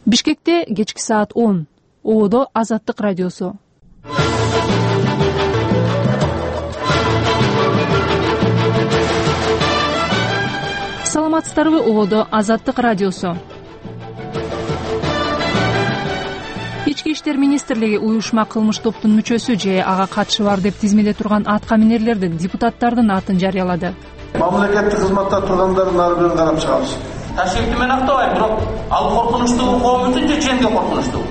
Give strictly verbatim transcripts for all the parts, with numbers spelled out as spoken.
Бишкекте кечки саат он. Ободо Азаттык радиосу. Саламатсыздарбы, Ободо Азаттык радиосу. Ички иштер министрлиги уюшма кылмыш топтун мүчөсү же ага катышы бар деп тизмеде турган атка минерлердин, депутаттардын атын жарыялады. Мамлекеттик кызматта тургандардын ар бирин карап чыгабыз. Ташкентти мен актабайм, бирок ал коркунучтуу коом үчүн же жемге коркунучтуу.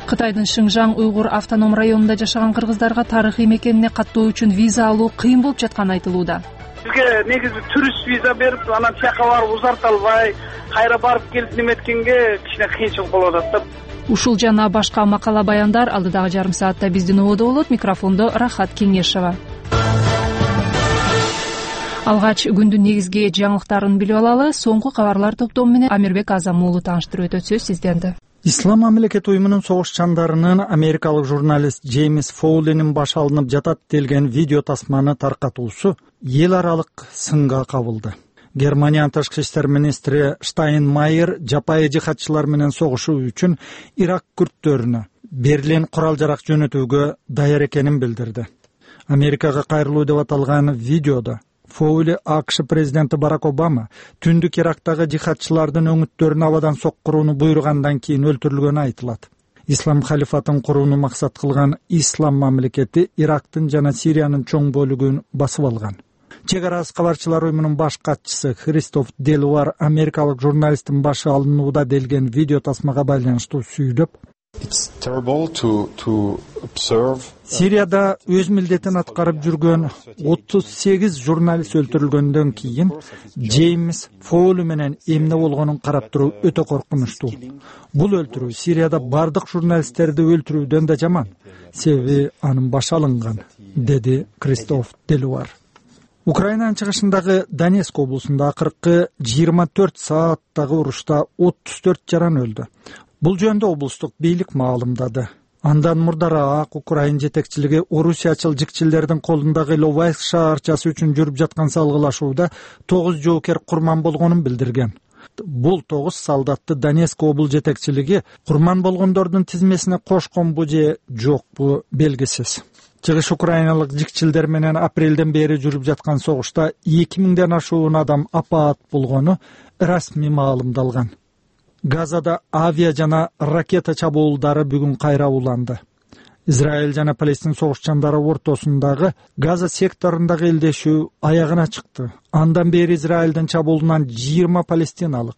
Кытайдын Шыңжаң уйгур автоном районунда жашаган кыргыздарга тарыхый мекенине каттоо үчүн виза алуу кыйын болуп жатканы айтылууда. Бизге негизи турист виза берип, анан тияка барып узарта албай, кайра барып келип неметкенге кичине кыйынчылык болуп атат да. Ушул жана башка макала баяндар алдыдагы жарым саатта биздин ободо болот. Микрофондо Рахат Кеңешова. Алгач күндүн негизги жаңылыктарын билип алалы. Соңку кабарлар топтому менен Амирбек Азам уулу тааныштырып өтөт. Сөз сизденде. Ислам мамлекети уюмунун согушчандарынын америкалык журналист Джеймс Фоулинин башы алынып жатат делген видео тасманы таркатуусу эл аралык сынга кабылды. Германиянын тышкы иштер министри Штайнмайер жапайы жихадчылар менен согушуу үчүн Ирак күрттөрүнө Берлин курал-жарак жөнөтүүгө даяр экенин билдирди. Америкага кайрылуу деп аталган видеодо Фоули АКШ президенти Барак Обама түндүк Ирактагы жихадчылардын өңүттөрүн абадан соккурууну буйругандан кийин өлтүрүлгөнү айтылат. Ислам халифатын курууну максат кылган Ислам мамлекети Ирактын жана Сириянын чоң бөлүгүн басып алган. Чек ара кабарчылар уюмунун баш катчысы Кристоф Делуар америкалык журналисттин башы алынууда делген видео тасмага байланыштуу сүйдөп, Сирияда өз милдетин аткарып жүргөн отуз сегиз журналист өлтүрүлгөндөн кийин Джеймс Фоули менен эмне болгонун карап туруу өтө коркунучтуу. Бул өлтүрүү Сирияда бардык журналисттерди өлтүрүүдөн да жаман, себеби анын башы алынган, деди Кристоф Делуар. Украинанын чыгышындагы Донецк облусунда акыркы жыйырма төрт сааттагы урушта отуз төрт жаран өлдү. Бул жөнүндө облустук бийлик маалымдады. Андан мурдараак Украин жетекчилиги орусиячыл жикчилердин колундагы Иловайск шаарчасы үчүн жүрүп жаткан салгылашууда тогуз жоокер курман болгонун билдирген. Бул тогуз солдатты Донецк обул жетекчилиги курман болгондордун тизмесине кошконбу же жокпу белгисиз. Чыгыш украиналык жикчилдер менен апрелден бери жүрүп жаткан согушта эки миңден ашуун адам апаат болгону расмий маалымдалган. Газада авиа жана ракета чабуулдары бүгүн кайра уланды. Израиль жана Палестин согушчандары ортосундагы Газа секторундагы элдешүү аягына чыкты. Андан бери Израилдин чабуулунан жыйырма палестиналык,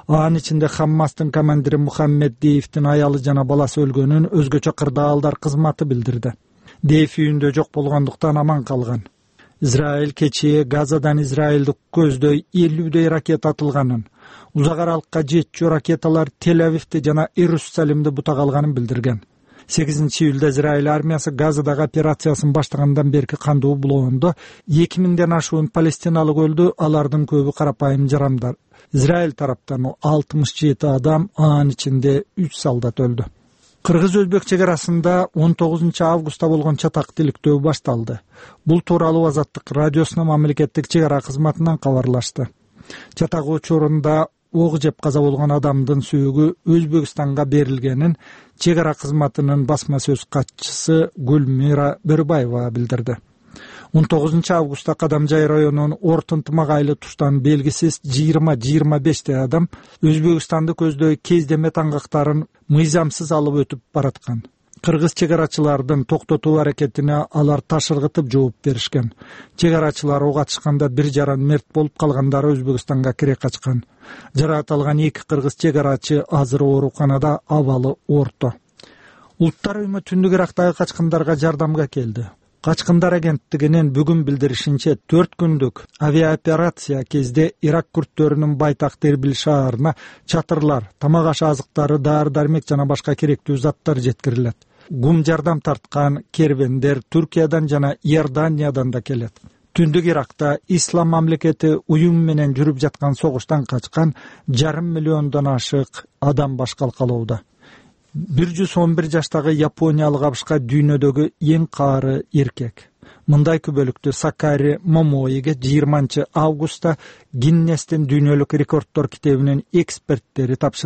анын ичинде Хаммастын командири Мухаммед Деевдин аялы жана баласы өлгөнүн өзгөчө кырдаалдар кызматы билдирди. Деев үйүндө жок болгондуктан аман калган. Израиль кечээ Газадан Израилди көздөй элүүдөй ракета атылганын, узак аралыкка жетчү ракеталар Тель-Авивди жана Иерусалимди бутак алганын билдирген. сегизинчи июлда Израиль армиясы Газадагы операциясын баштагандан берки кандуу булоондо эки миңден ашуун палестиналык өлдү, алардын көбү карапайым жарандар. Израиль тараптан алтымыш жети адам, анын ичинде үч солдат өлдү. Кыргыз-Өзбек чек арасында он тогузунчу августта болгон чатак тиликтөө башталды. Бул тууралуу Азаттык радиосунун мамлекеттик чек ара кызматынан кабарлашты. Чатак учурунда ок жеп каза болгон адамдын сүйүгү Өзбекстанга берилгенин чек ара кызматынын басма сөз катчысы Гүлмира Бөрбаева билдирди. он тогузунчу августта Кадамжай районунун Ортунтумак айлы туштан белгисиз жыйырма жыйырма бештей адам Өзбекстанды көздөй кездеме таңгактарын мыйзамсыз алып өтүп бараткан. Кыргыз чек арачылардын токтотуу аракетине алар таш ыргытып жооп беришкен. Чек арачылар ок атышканда бир жаран мерт болуп, калгандары Өзбекстанга кире качкан. Жаракат алган эки кыргыз чек арачы азыр ооруканада, абалы орто. Улуттар уюму түндүк Ирактагы качкындарга жардамга келди. Качкындар агенттигинин бүгүн билдиришинче төрт күндүк авиаоперация кезде Ирак күрттөрүнүн байтак Тербил шаарына чатырлар, тамак аш азыктары, дары-дармек жана башка керектүү заттар жеткирилет. Гум жардам тарткан кервендер Түркиядан жана Иорданиядан да келет. Түндүк Иракта Ислам мамлекети уюм менен жүрүп жаткан согуштан качкан жарым миллиондон ашык адам баш калкалоодо. бир жүз он бир жаштагы япониялык абышка дүйнөдөгү эң каары эркек. Мындай күбөлүктү Сакари Момоиге жыйырманчы августта Гиннестин дүйнөлүк рекорддор китебинин эксперттери тапшырды.